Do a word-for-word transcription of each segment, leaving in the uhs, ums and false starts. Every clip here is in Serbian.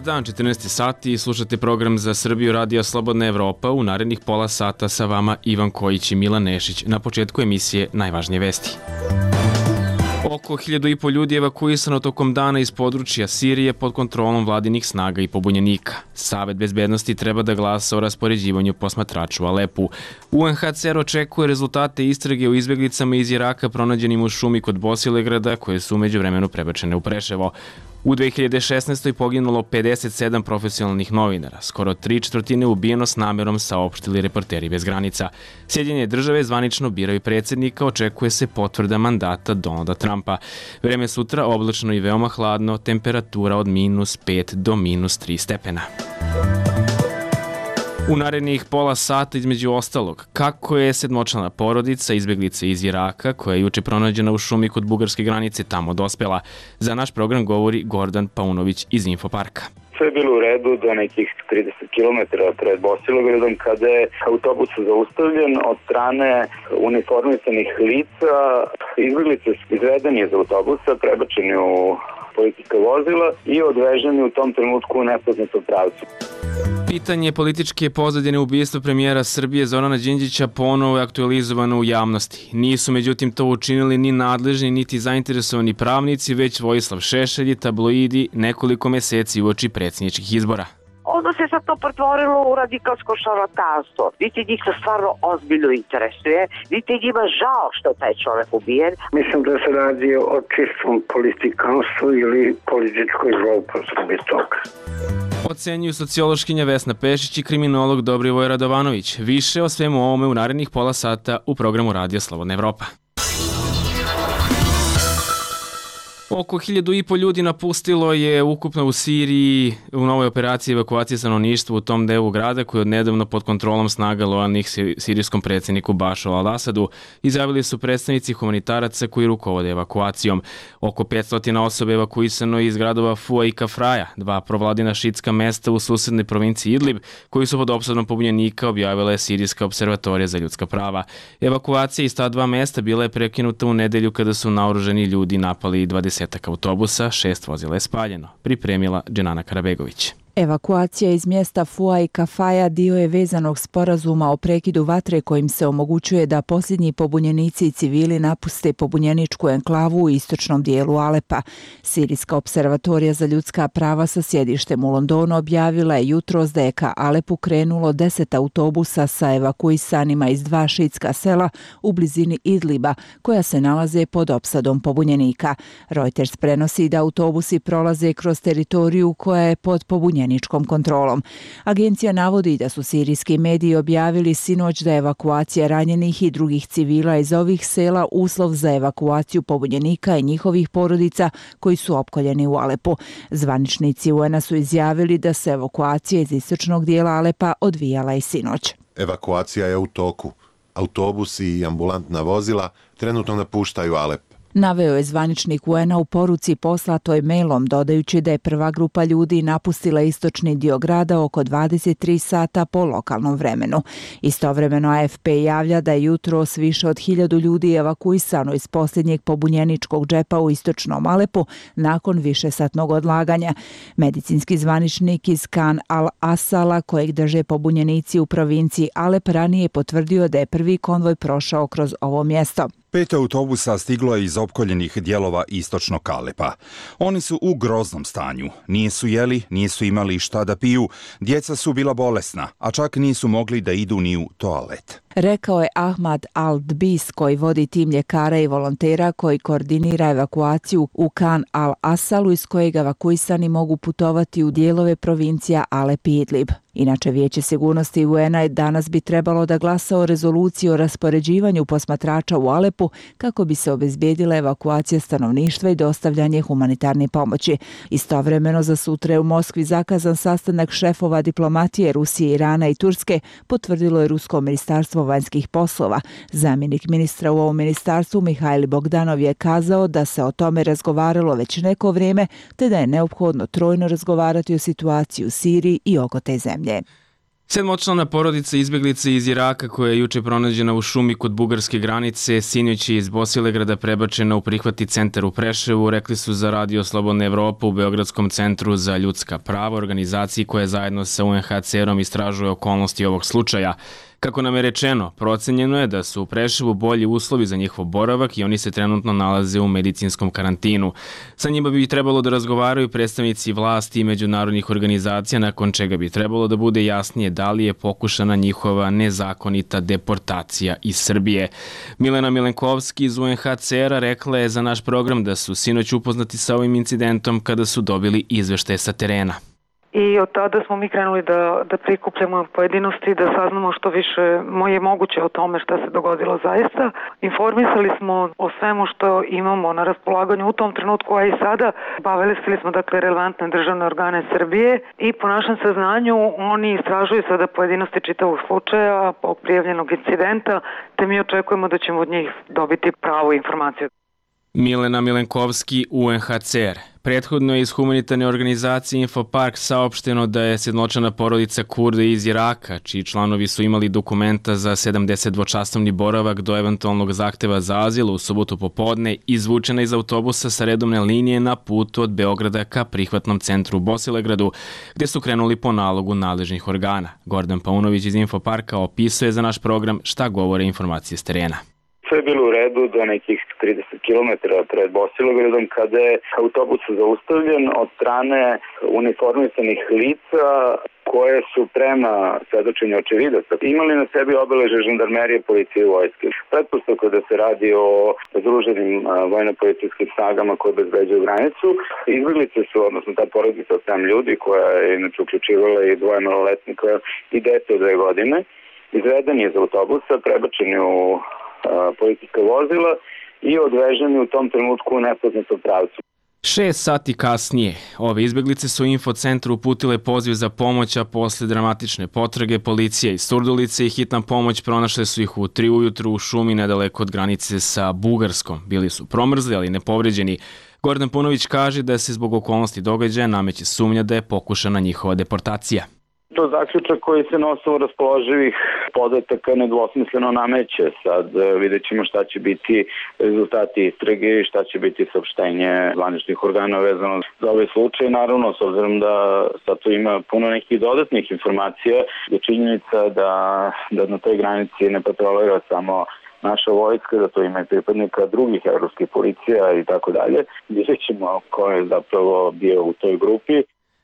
dan, četrnaesti sati i slušate program za Srbiju Radija Slobodna Evropa. U narednih pola sata sa vama Ivan Kojić i Milan Nešić. Na početku emisije najvažnije vesti. Oko hiljadu i po ljudi evakuisano tokom dana iz područja Sirije pod kontrolom vladinih snaga i pobunjenika. Savet bezbednosti treba da glasa o raspoređivanju posmatrača u Alepu. U en ha ce er očekuje rezultate istrage o izbeglicama iz Iraka pronađenim u šumi kod Bosilegrada, koje su umeđu vremenu prebačene u Preševo. U dve hiljade šesnaestoj poginulo pedeset sedam profesionalnih novinara, skoro tri četvrtine ubijeno s namerom, saopštili Reporteri bez granica. Sjedinjene države zvanično biraju predsjednika, očekuje se potvrda mandata Donalda Trumpa. Vreme sutra oblačno i veoma hladno, temperatura od minus pet do minus tri stepena. U narednih pola sata između ostalog, kako je sedmočlana porodica izbeglice iz Iraka, koja je juče pronađena u šumi kod bugarske granice, tamo dospela. Za naš program govori Gordan Paunović iz Infoparka. Sve je bilo u redu do nekih trideset kilometara pred Bosilegradom, kada je autobus zaustavljen od strane uniformisanih lica. Izbeglice su izvedeni iz autobusa, prebačeni u policijska vozila i odveženi u tom trenutku u nepoznatom pravcu. Pitanje političke pozadine ubistva premijera Srbije Zorana Đinđića ponovo je aktualizovano u javnosti. Nisu međutim to učinili ni nadležni niti zainteresovani pravnici, već Vojislav Šešelj i tabloidi nekoliko meseci uoči predsjedničkih izbora. Onda se sad to pretvorilo u radikalsko šarlatanstvo. Vidite, njih to stvarno ozbiljno interesuje. Vidite, njima žao što je taj čovjek ubijen. Mislim da se radi o čistom politikanstvu ili političkoj zloupotrebi toga. Ocenjuju sociološkinja Vesna Pešić i kriminolog Dobrivoj Radovanović. Više o svemu ovome u narednih pola sata u programu Radija Slobodna Evropa. Oko hiljadu i po ljudi napustilo je ukupno u Siriji u novoj operaciji evakuacije stanovništva u tom delu grada, koji je odnedavno pod kontrolom snaga lojalnih sirijskom predsjedniku Bašaru al-Asadu, izjavili su predstavnici humanitaraca koji rukovode evakuacijom. Oko petsto osobe evakuisano iz gradova Fua i Kafraja, dva provladina šitska mesta u susednoj provinciji Idlib, koji su pod opsadom pobunjenika, objavila je Sirijska observatorija za ljudska prava. Evakuacija iz ta dva mesta bila je prekinuta u nedelju kada su naoružani ljudi napali dvadeset autobusa, šest vozila je spaljeno, pripremila Dženana Karabegović. Evakuacija iz mjesta Fua i Kafaja dio je vezanog sporazuma o prekidu vatre kojim se omogućuje da posljednji pobunjenici i civili napuste pobunjeničku enklavu u istočnom dijelu Alepa. Sirijska observatorija za ljudska prava sa sjedištem u Londonu objavila je jutros da je ka Alepu krenulo deset autobusa sa evakuisanima iz dva šitska sela u blizini Idliba, koja se nalaze pod opsadom pobunjenika. Reuters prenosi da autobusi prolaze kroz teritoriju koja je pod pobunjenikom kontrolom. Agencija navodi da su sirijski mediji objavili sinoć da je evakuacija ranjenih i drugih civila iz ovih sela uslov za evakuaciju pobunjenika i njihovih porodica koji su opkoljeni u Alepu. Zvaničnici u en a su izjavili da se evakuacija iz istočnog dijela Alepa odvijala i sinoć. Evakuacija je u toku. Autobusi i ambulantna vozila trenutno napuštaju Alep. Naveo je zvaničnik u en a u poruci poslatoj mailom, dodajući da je prva grupa ljudi napustila istočni dio grada oko dvadeset tri sata po lokalnom vremenu. Istovremeno a ef pe javlja da je jutros više od hiljadu ljudi evakuisano iz posljednjeg pobunjeničkog džepa u istočnom Alepu nakon višesatnog odlaganja. Medicinski zvaničnik iz Khan al-Asala, kojeg drže pobunjenici u provinciji Alep, ranije potvrdio da je prvi konvoj prošao kroz ovo mjesto. Pet autobusa stiglo je iz opkoljenih dijelova istočnog Alepa. Oni su u groznom stanju. Nisu jeli, nisu imali šta da piju, djeca su bila bolesna, a čak nisu mogli da idu ni u toalet. Rekao je Ahmad Al-Dbis, koji vodi tim ljekara i volontera koji koordinira evakuaciju u Khan al-Asalu, iz kojeg evakuisani mogu putovati u dijelove provincija Alep i Idlib. Inače, Vijeće sigurnosti u en a danas bi trebalo da glasa o rezoluciji o raspoređivanju posmatrača u Alepu kako bi se obezbijedila evakuacija stanovništva i dostavljanje humanitarne pomoći. Istovremeno za sutra je u Moskvi zakazan sastanak šefova diplomatije Rusije, Irana i Turske, potvrdilo je Rusko ministarstvo vanjskih poslova. Zamjenik ministra u ovom ministarstvu Mihajl Bogdanov je kazao da se o tome razgovaralo već neko vrijeme, te da je neophodno trojno razgovarati o situaciji u Siriji i oko te zemlje. Sedmočlana porodica izbjeglice iz Iraka koja je juče pronađena u šumi kod bugarske granice, sinoć je iz Bosilegrada prebačena u prihvatni centar u Preševu, rekli su za Radio Slobodna Evropa u Beogradskom centru za ljudska prava, organizaciji koja zajedno sa U N H C R-om istražuje okolnosti ovog slučaja. Kako nam je rečeno, procenjeno je da su u Preševu bolji uslovi za njihov boravak i oni se trenutno nalaze u medicinskom karantinu. Sa njima bi trebalo da razgovaraju predstavnici vlasti i međunarodnih organizacija, nakon čega bi trebalo da bude jasnije da li je pokušana njihova nezakonita deportacija iz Srbije. Milena Milenkovski iz U N H C R-a rekla je za naš program da su sinoć upoznati sa ovim incidentom kada su dobili izveštaje sa terena. I od tada smo mi krenuli da, da prikupljamo pojedinosti, da saznamo što više je moguće o tome šta se dogodilo zaista. Informisali smo o svemu što imamo na raspolaganju u tom trenutku, a i sada obavestili smo dakle relevantne državne organe Srbije i po našem saznanju oni istražuju sada pojedinosti čitavog slučaja, prijavljenog incidenta, te mi očekujemo da ćemo od njih dobiti pravu informaciju. Milena Milenkovski, U N H C R. Prethodno je iz humanitarne organizacije Infopark saopšteno da je sedmočlana porodica Kurda iz Iraka, čiji članovi su imali dokumenta za sedamdesetdvočasovni boravak do eventualnog zahteva za azil u subotu popodne, izvučena iz autobusa sa redovne linije na putu od Beograda ka prihvatnom centru u Bosilegradu, gde su krenuli po nalogu nadležnih organa. Gordan Paunović iz Infoparka opisuje za naš program šta govore informacije s terena. Sve je bilo u redu do nekih trideset kilometara pred Bosilegradom kada je autobus zaustavljen od strane uniformisanih lica koje su prema svedočenju očevidaca imali na sebi obeleže žandarmerije, policije i vojske. Pretpostavka da se radi o združenim vojno-policijskim snagama koje obezbeđuju granicu. Izbjeglice su, odnosno ta porodica od sedam ljudi koja je inače uključivala i dvoje maloletnika i dete od dve godine, izvedeni iz autobusa, prebačeni u policijska vozila i odveženi u tom trenutku u nepoznatom pravcu. Šest sati kasnije, ove izbjeglice su u infocentru uputile poziv za pomoć, a posle dramatične potrage policija iz Surdulice i hitna pomoć pronašle su ih u tri ujutru u šumi nedaleko od granice sa Bugarskom. Bili su promrzli, ali nepovređeni. Gordan Punović kaže da se zbog okolnosti događaja nameće sumnja da je pokušana njihova deportacija. To zaključak koji se na osnovu raspoloživih podataka nedvosmisleno nameće. Sad vidjet ćemo šta će biti rezultati istrage i šta će biti saopštenje zvaničnih organa vezano za ovaj slučaj. Naravno, s obzirom da sad tu ima puno nekih dodatnih informacija, je činjenica da, da na toj granici ne patrolira samo naša vojska, da to ima i pripadnika drugih evropskih policija i tako dalje. Vidjet ćemo ko je zapravo bio u toj grupi.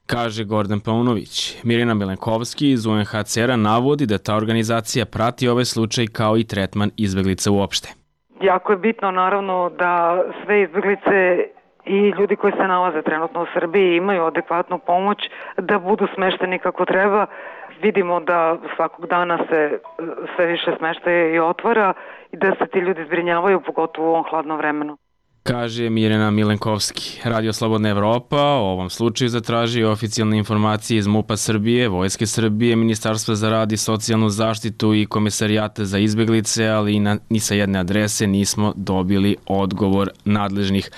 Kaže Gordan Paunović. Mirjana Milenkovski iz U N H C R-a navodi da ta organizacija prati ovaj slučaj kao i tretman izbjeglica uopšte. Jako je bitno naravno da sve izbjeglice i ljudi koji se nalaze trenutno u Srbiji imaju adekvatnu pomoć, da budu smešteni kako treba. Vidimo da svakog dana se sve više smeštaje i otvara i da se ti ljudi zbrinjavaju, pogotovo u ovom hladnom vremenu. Kaže Mirjana Milenkovski. Radio Slobodna Evropa o ovom slučaju zatražio oficijalne informacije iz MUP-a Srbije, Vojske Srbije, Ministarstva za rad i socijalnu zaštitu i Komesarijata za izbjeglice, ali na, ni sa jedne adrese nismo dobili odgovor nadležnih.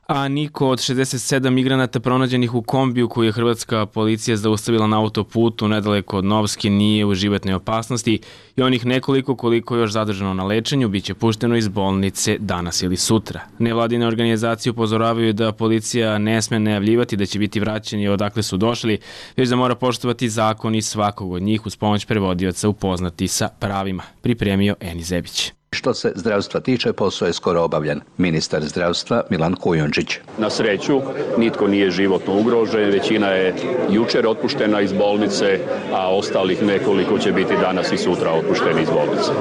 A niko od šezdeset sedam migranata pronađenih u kombiju koju je hrvatska policija zaustavila na autoputu nedaleko od Novske nije u životnoj opasnosti i onih nekoliko koliko je još zadržano na lečenju biće pušteno iz bolnice danas ili sutra. Nevladine organizacije upozoravaju da policija ne sme najavljivati da će biti vraćeni odakle su došli, već da mora poštovati zakon i svakog od njih uz pomoć prevodioca upoznati sa pravima. Pripremio Eni Zebić. Što se zdravstva tiče, posao je skoro obavljen. Ministar zdravstva Milan Kujundžić. Na sreću, nitko nije životno ugrožen, većina je jučer otpuštena iz bolnice, a ostalih nekoliko će biti danas i sutra otpušteni iz bolnice.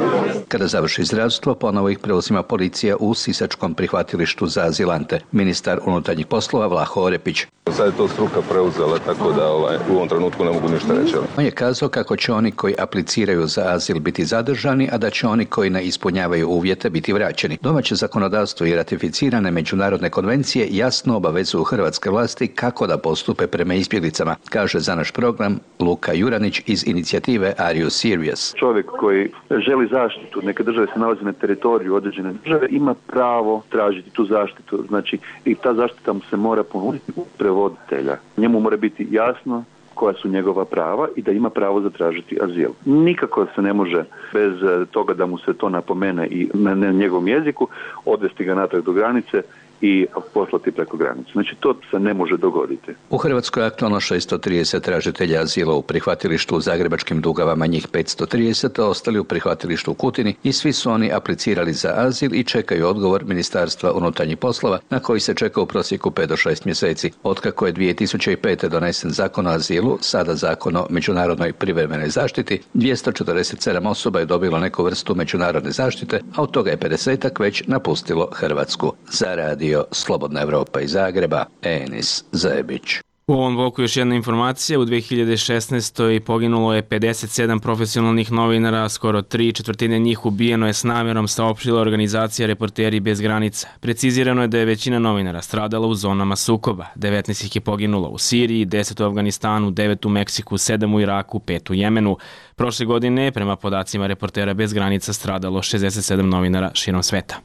Kada završi zdravstvo, ponovo ih preuzima policija u Sisačkom prihvatilištu za azilante. Ministar unutarnjih poslova Vlaho Orepić. Sad je to struka preuzela, tako da ovaj, u ovom trenutku ne mogu ništa reći. On je kazao kako će oni koji apliciraju za azil biti zadržani, a da će oni koji ne ispunjavaju uvjete biti vraćeni. Domaće zakonodavstvo i ratificirane međunarodne konvencije jasno obavezuju hrvatske vlasti kako da postupe prema izbjeglicama, kaže za naš program Luka Juranić iz inicijative Are You Serious? Čovjek koji želi zaštitu, neke države se nalazi na teritoriju određene države, ima pravo tražiti tu zaštitu. Znači, i ta zaštita mu se mora ponuditi u prevoditelja. Njemu mora biti jasno koja su njegova prava i da ima pravo zatražiti azil. Nikako se ne može bez toga da mu se to napomene i na njegovom jeziku odvesti ga natrag do granice i poslati preko granice. Znači, to se ne može dogoditi. U Hrvatskoj je aktualno šesto trideset tražitelja azila u prihvatilištu u Zagrebačkim Dugavama, njih petsto trideset, a ostali u prihvatilištu u Kutini i svi su oni aplicirali za azil i čekaju odgovor Ministarstva unutarnjih poslova na koji se čeka u prosjeku pet do šest mjeseci. Otkako je dvije tisuće pete. donesen zakon o azilu, sada zakon o međunarodnoj privremenoj zaštiti, dvjesto četrdeset sedam osoba je dobilo neku vrstu međunarodne zaštite, a od toga je pedesetak već napustilo Hrvatsku. Za radio Slobodna Evropa iz Zagreba, Enis Zebić. U ovom bloku još jedna informacija. U dve hiljade šesnaestoj poginulo je pedeset sedam profesionalnih novinara, skoro tri četvrtine njih ubijeno je s namjerom, saopštila organizacija Reporteri bez granica. Precizirano je da je većina novinara stradala u zonama sukoba. devetnaest ih je poginulo u Siriji, deset u Afganistanu, devet u Meksiku, sedam u Iraku, pet u Jemenu. Prošle godine, prema podacima Reportera bez granica, stradalo šezdeset sedam novinara širom sveta.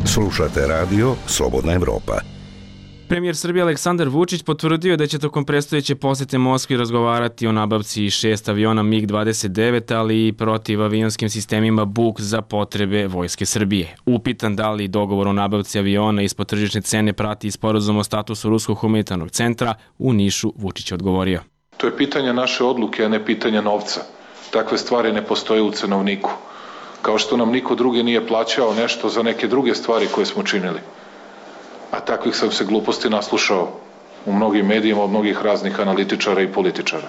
Slušate radio Slobodna Evropa. Premijer Srbije Aleksandar Vučić potvrdio je da će tokom predstojeće posete Moskvi razgovarati o nabavci šest aviona mig dvadeset devet, ali i protivavionskim sistemima Buk za potrebe Vojske Srbije. Upitan da li dogovor o nabavci aviona ispod tržišne cene prati sporazum o statusu Ruskog humanitarnog centra, u Nišu Vučić je odgovorio. To je pitanje naše odluke, a ne pitanje novca. Takve stvari ne postoje u cenovniku. Kao što nam niko drugi nije plaćao nešto za neke druge stvari koje smo činili. A takvih sam se gluposti naslušao u mnogim medijima od mnogih raznih analitičara i političara.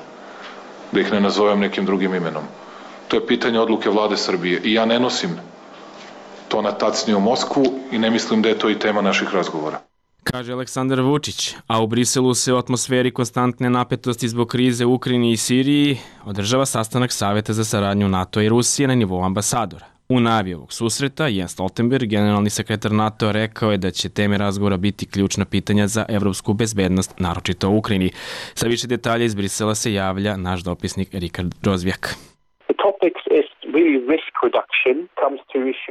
Da ih ne nazovem nekim drugim imenom. To je pitanje odluke vlade Srbije i ja ne nosim to na tacni u Moskvu i ne mislim da je to i tema naših razgovora. Kaže Aleksandar Vučić, a u Briselu se u atmosferi konstantne napetosti zbog krize u Ukrajini i Siriji održava sastanak Saveta za saradnju NATO i Rusije na nivou ambasadora. U najavi ovog susreta, Jens Stoltenberg, generalni sekretar NATO, rekao je da će teme razgovora biti ključna pitanja za evropsku bezbednost, naročito u Ukrajini. Sa više detalja iz Brisela se javlja naš dopisnik Rikard Rozvjak.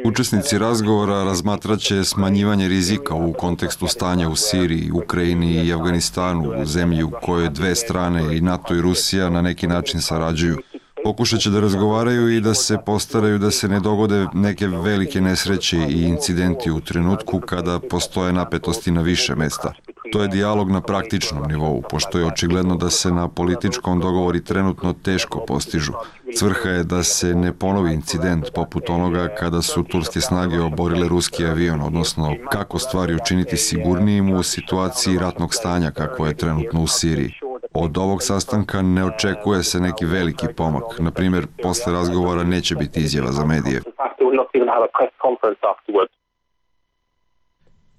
Učesnici razgovora razmatraće smanjivanje rizika u kontekstu stanja u Siriji, Ukrajini i Afganistanu, u zemlji u kojoj dve strane, i NATO i Rusija, na neki način sarađuju. Pokušat će da razgovaraju i da se postaraju da se ne dogode neke velike nesreće i incidenti u trenutku kada postoje napetosti na više mesta. To je dijalog na praktičnom nivou, pošto je očigledno da se na političkom dogovori trenutno teško postižu. Svrha je da se ne ponovi incident poput onoga kada su turske snage oborile ruski avion, odnosno kako stvari učiniti sigurnijim u situaciji ratnog stanja kakvo je trenutno u Siriji. Od ovog sastanka ne očekuje se neki veliki pomak. Na primjer, posle razgovora neće biti izjava za medije.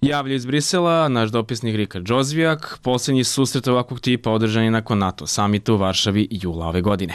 Javlja iz Brisela naš dopisnik Rikard Rozvjak. Posljednji susret ovakvog tipa održan je nakon NATO samita u Varšavi jula ove godine.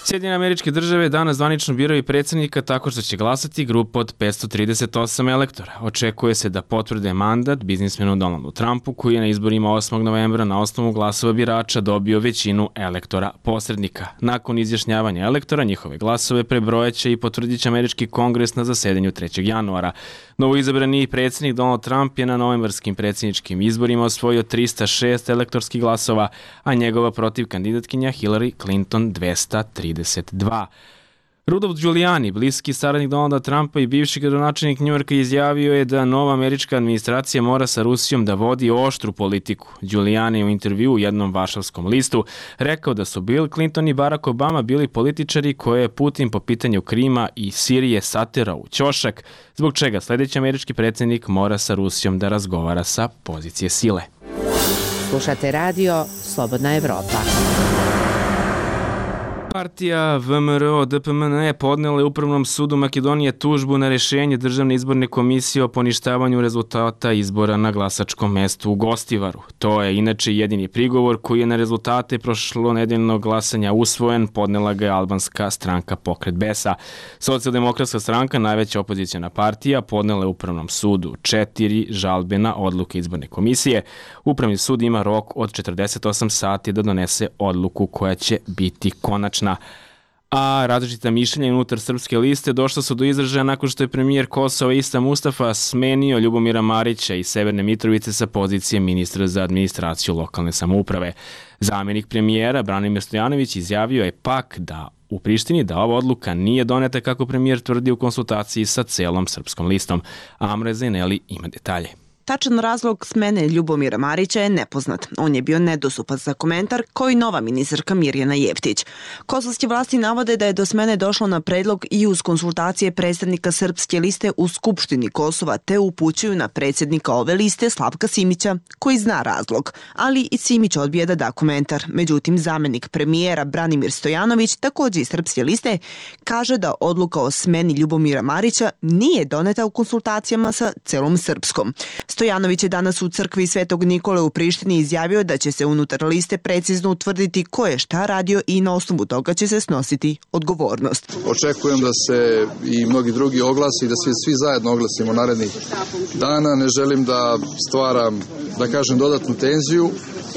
Sjedinjene Američke Države danas zvanično biraju predsjednika tako što će glasati grupa od petsto trideset osam elektora. Očekuje se da potvrde mandat biznismenu Donaldu Trumpu, koji je na izborima osmog novembra na osnovu glasova birača dobio većinu elektora posrednika. Nakon izjašnjavanja elektora, njihove glasove prebrojaće i potvrdit će Američki kongres na zasedanju trećeg januara. Novoizabrani predsjednik Donald Trump je na novembarskim predsjedničkim izborima osvojio trista šest elektorskih glasova, a njegova protiv kandidatkinja Hillary Clinton dvesta trideset dva. Rudolph Giuliani, bliski saradnik Donalda Trumpa i bivši gradonačelnik Njujorka, izjavio je da nova američka administracija mora sa Rusijom da vodi oštru politiku. Giuliani je u intervju u jednom varšavskom listu rekao da su Bill Clinton i Barack Obama bili političari koje je Putin po pitanju Krima i Sirije saterao u ćošak, zbog čega sljedeći američki predsjednik mora sa Rusijom da razgovara sa pozicije sile. Slušate radio Slobodna Evropa. Partija V M R O D P M N E podnela je Upravnom sudu Makedonije tužbu na rješenje Državne izborne komisije o poništavanju rezultata izbora na glasačkom mestu u Gostivaru. To je inače jedini prigovor koji je na rezultate prošlonedeljnog glasanja usvojen, podnela ga je albanska stranka Pokret Besa. Socijaldemokratska stranka, najveća opozicijona partija, podnela je Upravnom sudu četiri žalbe na odluke izborne komisije. Upravni sud ima rok od četrdeset osam sati da donese odluku koja će biti konačna. A različita mišljenja unutar Srpske liste došla su do izražaja nakon što je premijer Kosova Ista Mustafa smenio Ljubomira Marića iz Severne Mitrovice sa pozicije ministra za administraciju lokalne samouprave. Zamenik premijera Branimir Stojanović izjavio je pak da u Prištini da ova odluka nije doneta kako premijer tvrdi u konsultaciji sa celom Srpskom listom. Amra Zeneli ima detalje. Tačan razlog smene Ljubomira Marića je nepoznat. On je bio nedostupan za komentar, kao i nova ministarka Mirjana Jeftić. Kosovske vlasti navode da je do smene došlo na predlog i uz konsultacije predstavnika Srpske liste u Skupštini Kosova, te upućuju na predsjednika ove liste Slavka Simića, koji zna razlog. Ali i Simić odbija da da komentar. Međutim, zamenik premijera Branimir Stojanović, također iz Srpske liste, kaže da odluka o smeni Ljubomira Marića nije doneta u konsultacijama sa celom Srpskom. Stojanović je danas u crkvi Svetog Nikole u Prištini izjavio da će se unutar liste precizno utvrditi ko je šta radio i na osnovu toga će se snositi odgovornost. Očekujem da se i mnogi drugi oglasi i da svi, svi zajedno oglasimo narednih dana. Ne želim da stvaram, da kažem, dodatnu tenziju.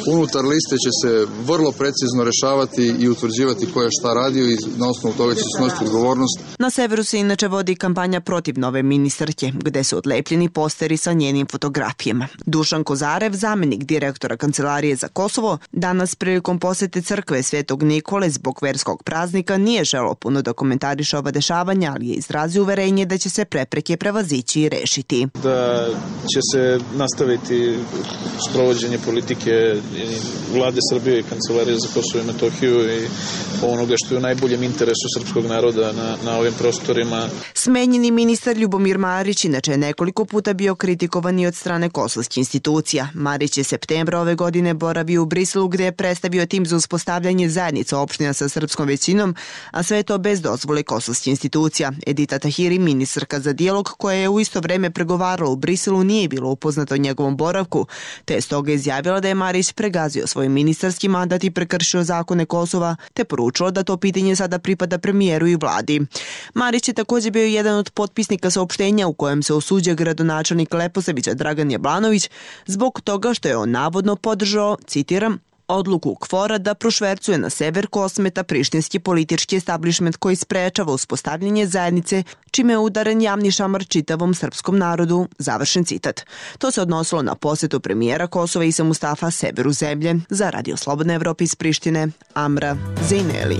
Unutar liste će se vrlo precizno rešavati i utvrđivati ko je šta radio i na osnovu toga će se snositi odgovornost. Na severu se inače vodi kampanja protiv nove ministarke, gde su odlepljeni posteri sa njenim fotografijama. Dušan Kozarev, zamenik direktora Kancelarije za Kosovo, danas prilikom posete crkve Svetog Nikole zbog verskog praznika nije želeo puno da komentariše ova dešavanja, ali je izrazio uverenje da će se prepreke prevazići i rešiti. Da će se nastaviti sprovođenje politike Vlade Srbije i Kancelarije za Kosovo i Metohiju i onoga što je u najboljem interesu srpskog naroda na, na ovim prostorima. Smenjeni ministar Ljubomir Marić inače je nekoliko puta bio kritikovan i od strane kosovskih institucija. Marić je septembra ove godine boravio u Briselu gde je predstavio tim za uspostavljanje zajednica opština sa srpskom većinom, a sve to bez dozvole kosovskih institucija. Edita Tahiri, ministarka za dijalog, koja je u isto vreme pregovarala u Briselu, nije bilo upoznata o njegovom boravku, te je stoga izjavila da je Marić pregazio svoj ministarski mandat i prekršio zakone Kosova, te poručilo da to pitanje sada pripada premijeru i vladi. Marić je također bio jedan od potpisnika saopštenja u kojem se osuđuje gradonačelnik Leposavića Dragan Jablanović zbog toga što je on navodno podržao, citiram, odluku KFOR-a da prošvercuje na sever Kosmeta prištinski politički establishment koji sprečava uspostavljanje zajednice, čime je udaren javni šamar čitavom srpskom narodu, završen citat. To se odnosilo na posjetu premijera Kosova Ise Mustafa severu zemlje. Za Radio Slobodna Evropa iz Prištine, Amra Zeneli.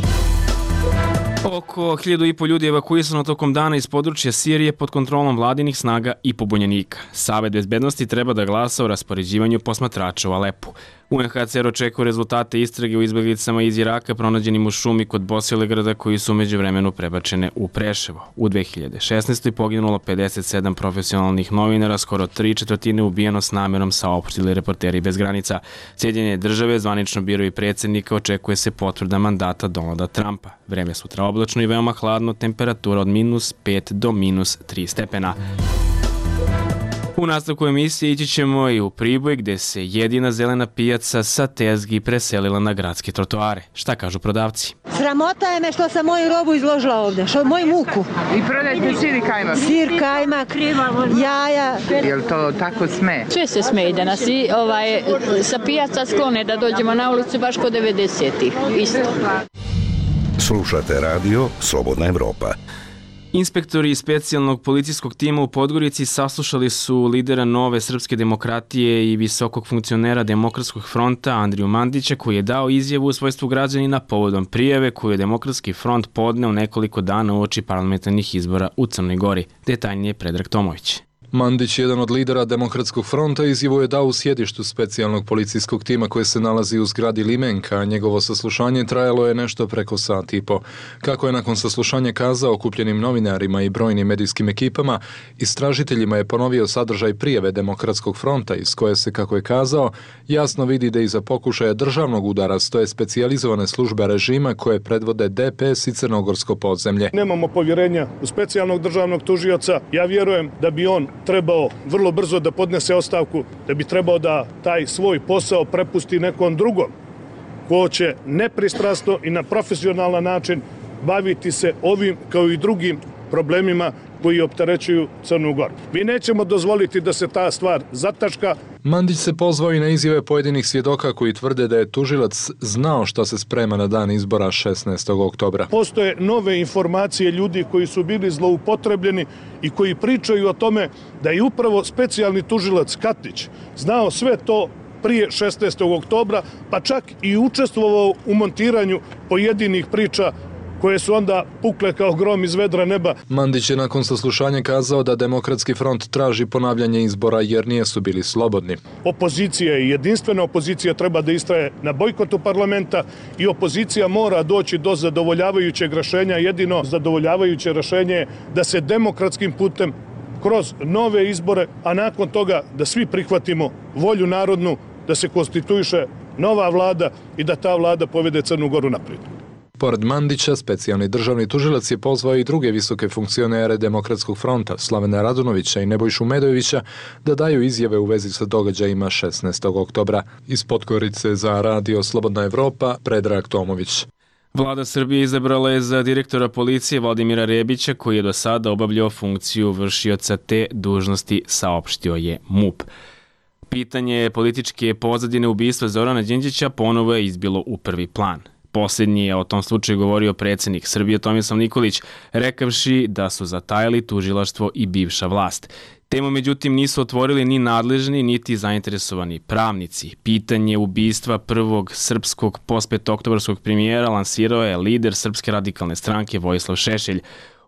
Oko hiljadu i po ljudi evakuisano tokom dana iz područja Sirije pod kontrolom vladinih snaga i pobunjenika. Savet bezbednosti treba da glasa o raspoređivanju posmatrača u Alepu. U en ha ce er očekuje rezultate istrage u izbjeglicama iz Iraka pronađenim u šumi kod Bosilegrada koji su među vremenu prebačene u Preševo. U dve hiljade šesnaestoj poginulo pedeset sedam profesionalnih novinara, skoro tri četvrtine ubijeno s namerom, saopštili Reporteri bez granica. Sjedinjene države zvanično biraju predsjednika, očekuje se potvrda mandata Donalda Trumpa. Vreme sutra oblačno i veoma hladno, temperatura od minus pet do minus tri stepena. U nastavku emisije ići ćemo i u Priboj gdje se jedina zelena pijaca sa tezgi preselila na gradske trotoare. Šta kažu prodavci? Sramota je me što sam moju robu izložila ovdje, što moju muku. I prodajte sir i kajmak? Sir, kajmak, jaja. Je li to tako sme? Sve se sme da nas i ovaj, sa pijaca sklone da dođemo na ulicu baš kod devedesetih. Isto. Slušate radio Slobodna Evropa. Inspektori iz specijalnog policijskog tima u Podgorici saslušali su lidera Nove srpske demokratije i visokog funkcionera Demokratskog fronta Andriju Mandića, koji je dao izjavu u svojstvu građanina povodom prijave koju je Demokratski front podneo nekoliko dana uoči parlamentarnih izbora u Crnoj Gori. Detaljnije Predrag Tomović. Mandić, jedan od lidera Demokratskog fronta, izjavu je dao u sjedištu specijalnog policijskog tima koje se nalazi u zgradi Limenka, a njegovo saslušanje trajalo je nešto preko sat i po. Kako je nakon saslušanja kazao okupljenim novinarima i brojnim medijskim ekipama, istražiteljima je ponovio sadržaj prijave Demokratskog fronta iz koje se, kako je kazao, jasno vidi da iza pokušaja državnog udara stoje specijalizovane službe režima koje predvode de pe es i Crnogorsko podzemlje. Nemamo povjerenja u specijalnog državnog tužioca. Ja vjerujem da bi on trebao vrlo brzo da podnese ostavku, da bi trebao da taj svoj posao prepusti nekom drugom, ko će nepristrasno i na profesionalan način baviti se ovim kao i drugim problemima koji opterećuju Crnu Goru. Mi nećemo dozvoliti da se ta stvar zataška. Mandić se pozvao i na izjave pojedinih svjedoka koji tvrde da je tužilac znao šta se sprema na dan izbora šesnaestog oktobra. Postoje nove informacije ljudi koji su bili zloupotrebljeni i koji pričaju o tome da je upravo specijalni tužilac Katnić znao sve to prije šesnaestog oktobra, pa čak i učestvovao u montiranju pojedinih priča koje su onda pukle kao grom iz vedra neba. Mandić je nakon saslušanja kazao da Demokratski front traži ponavljanje izbora jer nijesu bili slobodni. Opozicija je jedinstvena, opozicija treba da istraje na bojkotu parlamenta i opozicija mora doći do zadovoljavajućeg rešenja. Jedino zadovoljavajuće rešenje je da se demokratskim putem kroz nove izbore, a nakon toga da svi prihvatimo volju narodnu, da se konstituiše nova vlada i da ta vlada povede Crnu Goru naprijed. Pored Mandića, specijalni državni tužilac je pozvao i druge visoke funkcionere Demokratskog fronta, Slavena Radunovića i Nebojšu Medojevića, da daju izjave u vezi sa događajima šesnaestog oktobra. Iz Podgorice za Radio Slobodna Evropa, Predrag Tomović. Vlada Srbije izabrala je za direktora policije Vladimira Rebića, koji je do sada obavljao funkciju vršioca te dužnosti, saopštio je MUP. Pitanje političke pozadine ubistva Zorana Đinđića ponovo je izbilo u prvi plan. Posljednji je o tom slučaju govorio predsjednik Srbije Tomislav Nikolić, rekavši da su zatajili tužilaštvo i bivša vlast. Temu međutim nisu otvorili ni nadležni, niti zainteresovani pravnici. Pitanje ubistva prvog srpskog postpetooktobarskog premijera lansirao je lider Srpske radikalne stranke Vojislav Šešelj.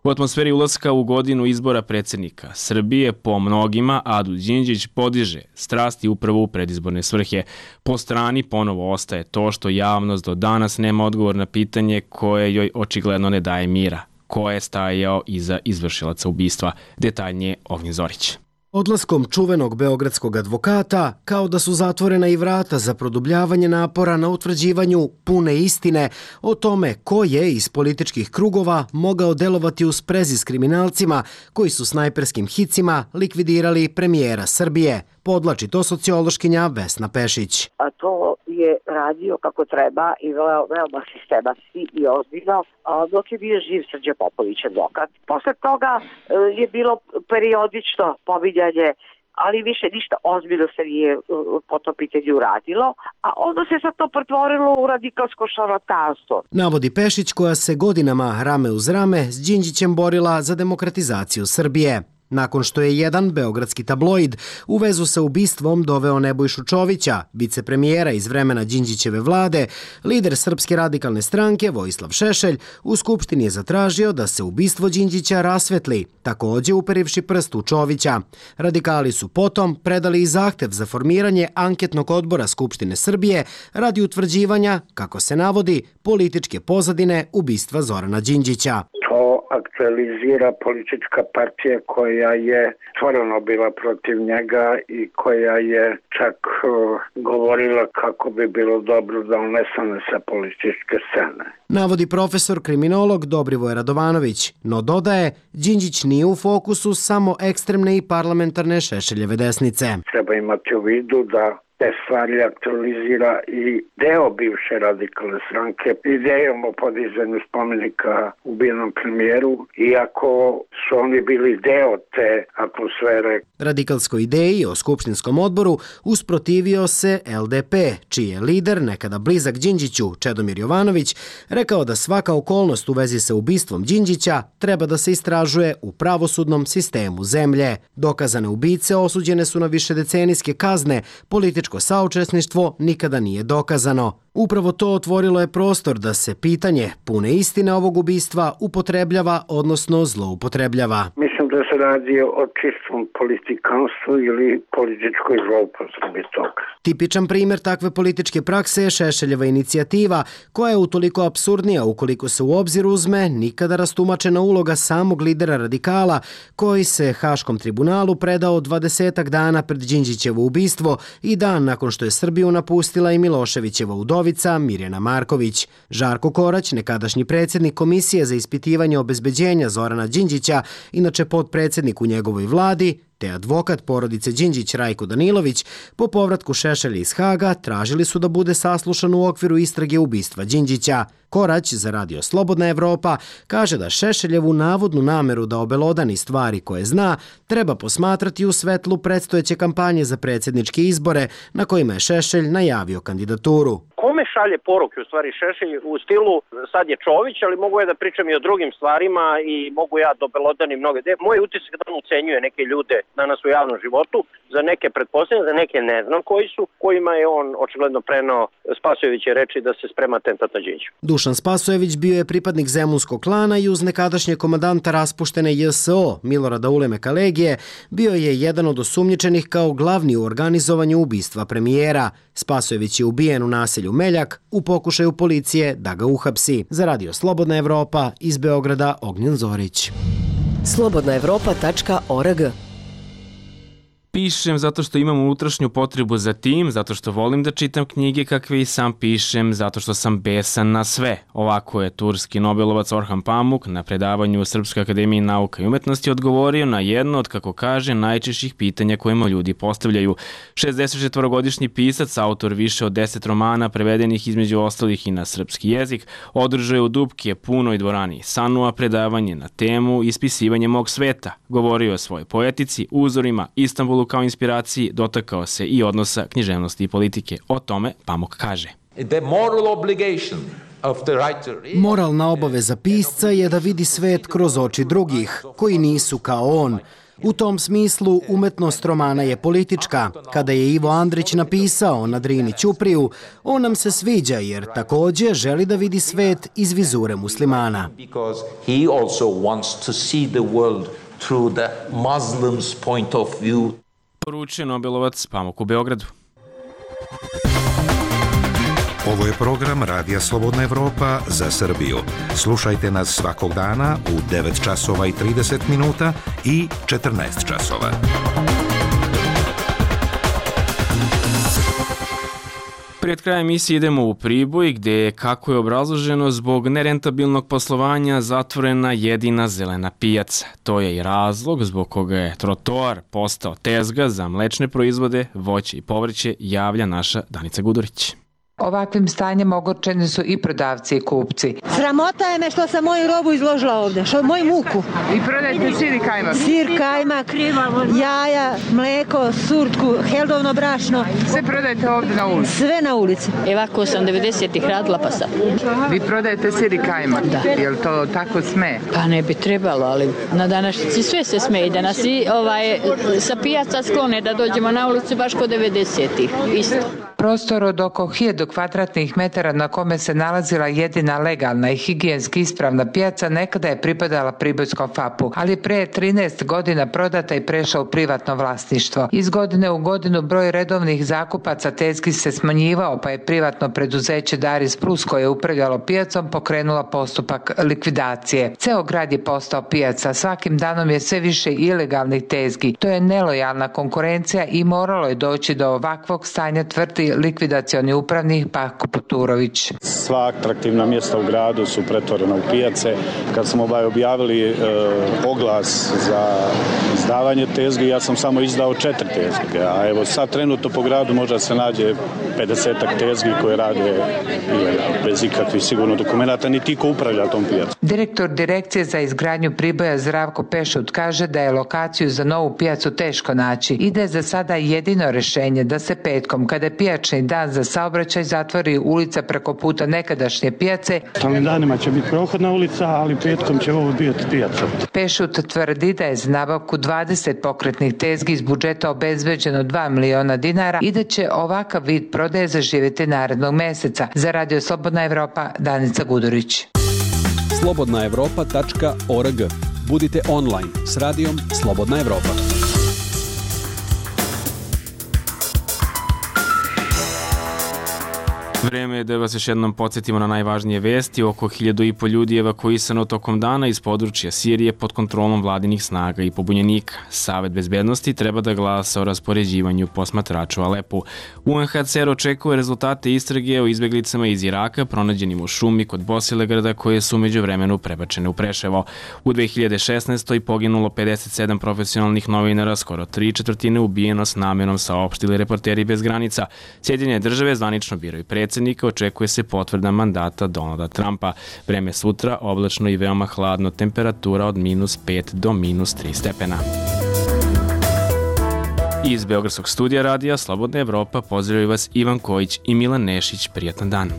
U atmosferi ulaska u godinu izbora predsjednika Srbije po mnogima Adu Đinđić podiže strasti upravo u predizborne svrhe. Po strani ponovo ostaje to što javnost do danas nema odgovor na pitanje koje joj očigledno ne daje mira. Ko je stajao iza izvršilaca ubistva? Detaljnije Ognjen Zorić. Odlaskom čuvenog beogradskog advokata, kao da su zatvorena i vrata za produbljavanje napora na utvrđivanju pune istine o tome ko je iz političkih krugova mogao delovati u sprezi s kriminalcima koji su snajperskim hicima likvidirali premijera Srbije. Podlači to sociološkinja Vesna Pešić. A to je radio kako treba i veoma sistematski i ozbiljno, dok je bio živ Srđan Popović advokat. Posle toga je bilo periodično pominjanje, ali više ništa ozbiljno se nije po to pitanju uradilo, a onda se sad to pretvorilo u radikalsko šarlatanstvo. Navodi Pešić, koja se godinama rame uz rame s Đinđićem borila za demokratizaciju Srbije. Nakon što je jedan beogradski tabloid u vezu sa ubistvom doveo Nebojšu Čovića, vicepremijera iz vremena Đinđićeve vlade, lider Srpske radikalne stranke Vojislav Šešelj u Skupštini je zatražio da se ubistvo Đinđića rasvetli, također uperivši prst u Čovića. Radikali su potom predali i zahtev za formiranje anketnog odbora Skupštine Srbije radi utvrđivanja, kako se navodi, političke pozadine ubistva Zorana Đinđića. To aktualizira politička partija koja je stvarno bila protiv njega i koja je čak uh, govorila kako bi bilo dobro da on nestane sa političke scene. Navodi profesor kriminolog Dobrivoje Radovanović, no dodaje, Đinđić nije u fokusu samo ekstremne i parlamentarne Šešeljeve desnice. Treba imati u vidu da te stvari aktualizira i deo bivše radikalne stranke idejom o podizanju spomenika ubijenom premijeru, iako su oni bili deo te atmosfere. Radikalskoj ideji o skupštinskom odboru usprotivio se el de pe, čiji je lider, nekada blizak Đinđiću, Čedomir Jovanović, rekao da svaka okolnost u vezi sa ubistvom Đinđića treba da se istražuje u pravosudnom sistemu zemlje. Dokazane ubice osuđene su na višedecenijske kazne, političke saučesništvo nikada nije dokazano. Upravo to otvorilo je prostor da se pitanje pune istine ovog ubistva upotrebljava, odnosno zloupotrebljava. Mislim da se radi o čistom politikanstvu ili političkoj zloupotrebi toga. Tipičan primjer takve političke prakse je Šešeljeva inicijativa, koja je utoliko apsurdnija ukoliko se u obzir uzme nikada rastumačena uloga samog lidera radikala, koji se Haškom tribunalu predao dvadesetak dana pred Đinđićevo ubistvo i dan nakon što je Srbiju napustila i Miloševićeva udovica Mirjana Marković. Žarko Korać, nekadašnji predsjednik Komisije za ispitivanje obezbeđenja Zorana Đinđića, inače potpredsjednik u njegovoj vladi, te advokat porodice Đinđić Rajko Danilović po povratku Šešelja iz Haga tražili su da bude saslušan u okviru istrage ubistva Đinđića. Korać za Radio Slobodna Evropa kaže da Šešeljevu navodnu nameru da obelodani stvari koje zna treba posmatrati u svetlu predstojeće kampanje za predsjedničke izbore na kojima je Šešelj najavio kandidaturu. Kome šalje poruke u stvari Šešelj u stilu sad je Čović, ali mogu ja da pričam i o drugim stvarima i mogu ja da obelodanim mnoge. Moj utisak da on ucenjuje neke ljude danas u javnom životu, za neke pretpostavljam, za neke ne znam koji su, kojima je on očigledno prenao Spasojeviće reči da se sprema atentat na Đinđića. Dušan Spasojević bio je pripadnik zemunskog klana i uz nekadašnje komandanta raspuštene J S O Milorada Ulemeka Legije bio je jedan od osumnjičenih kao glavni u organizovanju ubistva premijera. Spasojević je ubijen u naselju Meljak u pokušaju policije da ga uhapsi. Za Radio Slobodna Evropa iz Beograda Ognjen Zorić. slobodna evropa tačka org. Pišem zato što imam unutrašnju potrebu za tim, zato što volim da čitam knjige kakve i sam pišem, zato što sam besan na sve. Ovako je turski Nobelovac Orhan Pamuk na predavanju u Srpskoj akademiji nauka i umetnosti odgovorio na jedno od, kako kaže, najčešćih pitanja kojima ljudi postavljaju. šezdesetčetvorogodišnji pisac, autor više od deset romana prevedenih između ostalih i na srpski jezik, održao je u Dupke punoj dvorani Sanua predavanje na temu Ispisivanje mog sveta. Govorio o svojoj poetici, uzorima, Istanbulu kao inspiraciji, dotakao se i odnosa književnosti i politike. O tome Pamuk kaže. Moralna obaveza pisca je da vidi svet kroz oči drugih, koji nisu kao on. U tom smislu umetnost romana je politička. Kada je Ivo Andrić napisao na Drini Ćupriju, on nam se sviđa jer također želi da vidi svet iz vizure muslimana. Through the Muslims' point of view. Poručuje Nobelovac Pamuk u Beogradu. Ovo je program Radija Slobodna Evropa za Srbiju. Slušajte nas svakog dana u devet časova i trideset minuta i četrnaest časova. Pred krajem emisije idemo u Priboj gdje je, kako je obrazloženo, zbog nerentabilnog poslovanja zatvorena jedina zelena pijaca. To je i razlog zbog koga je trotoar postao tezga za mlečne proizvode, voće i povrće, javlja naša Danica Gudurić. Ovakvim stanjem ogorčeni su i prodavci i kupci. Sramota je me što sam moju robu izložila ovdje, što moju muku. I prodajete sir i kajmak? Sir, kajmak, jaja, mleko, surtku, heldovno brašno. Sve prodajete ovdje na ulici? Sve na ulici. Evako sam devedesetih radila pa sad. Vi prodajete sir i kajmak? Da. Je li to tako sme? Pa ne bi trebalo, ali na današnjici sve se sme i da nas i ovaj, sa pijaca sklone da dođemo na ulicu baš kod devedesetih. Isto. Prostor od oko hiljadu kvadratnih metara na kome se nalazila jedina legalna i higijenski ispravna pijaca nekada je pripadala Pribojskom fapu, ali pre trinaest godina prodata i prešla u privatno vlasništvo. Iz godine u godinu broj redovnih zakupaca tezgi se smanjivao, pa je privatno preduzeće Daris Plus koje je upravljalo pijacom pokrenula postupak likvidacije. Ceo grad je postao pijaca, svakim danom je sve više ilegalnih tezgi. To je nelojalna konkurencija i moralo je doći do ovakvog stanja, tvrdi likvidacioni upravnik Pako Puturović. Sva atraktivna mjesta u gradu su pretvorena u pijace. Kad smo objavili e, oglas za izdavanje tezgi, ja sam samo izdao četiri tezge, a evo sad trenutno po gradu možda se nađe pedesetak tezgi koje rade ilegalno, bez ikakvih sigurno dokumenta, niti ko upravlja tom pijacom. Direktor Direkcije za izgradnju Priboja Zdravko Pešut kaže da je lokaciju za novu pijacu teško naći i da je za sada jedino rješenje da se petkom, kada je pijačni dan za saobraćaj, zatvori ulica preko puta nekadašnje pijace. Ovim danima će biti prohodna ulica, ali petkom će ovo biti pijaca. Pešut tvrdi da je za nabavku dvadeset pokretnih tezgi iz budžeta obezbeđeno dva miliona dinara i da će ovakav vid prodaje zaživjeti narednog mjeseca. Za Radio Slobodna Evropa, Danica Gudurić. slobodna evropa tačka org. Budite online s radijom Slobodna Evropa. Vreme je da vas još jednom podsjetimo na najvažnije vesti. Oko hiljadu i po ljudi je evakuisano tokom dana iz područja Sirije pod kontrolom vladinih snaga i pobunjenika. Savet bezbednosti treba da glasa o raspoređivanju posmatrača u Alepu. U en ha ce er očekuje rezultate istrage o izbeglicama iz Iraka pronađenim u šumi kod Bosilegrada koje su umeđu vremenu prebačene u Preševo. U dve hiljade šesnaestoj poginulo pedeset sedam profesionalnih novinara, skoro tri četvrtine ubijeno s namenom, saopštili Reporteri bez granica. Sjedinjene države zvanično biraju predsednika, očekuje se potvrda mandata Donalda Trumpa. Vreme sutra oblačno i veoma hladno, temperatura od minus pet do minus tri stepena. Iz Beogradskog studija radija Slobodna Evropa pozdravljaju vas Ivan Kojić i Milan Nešić. Prijatan dan.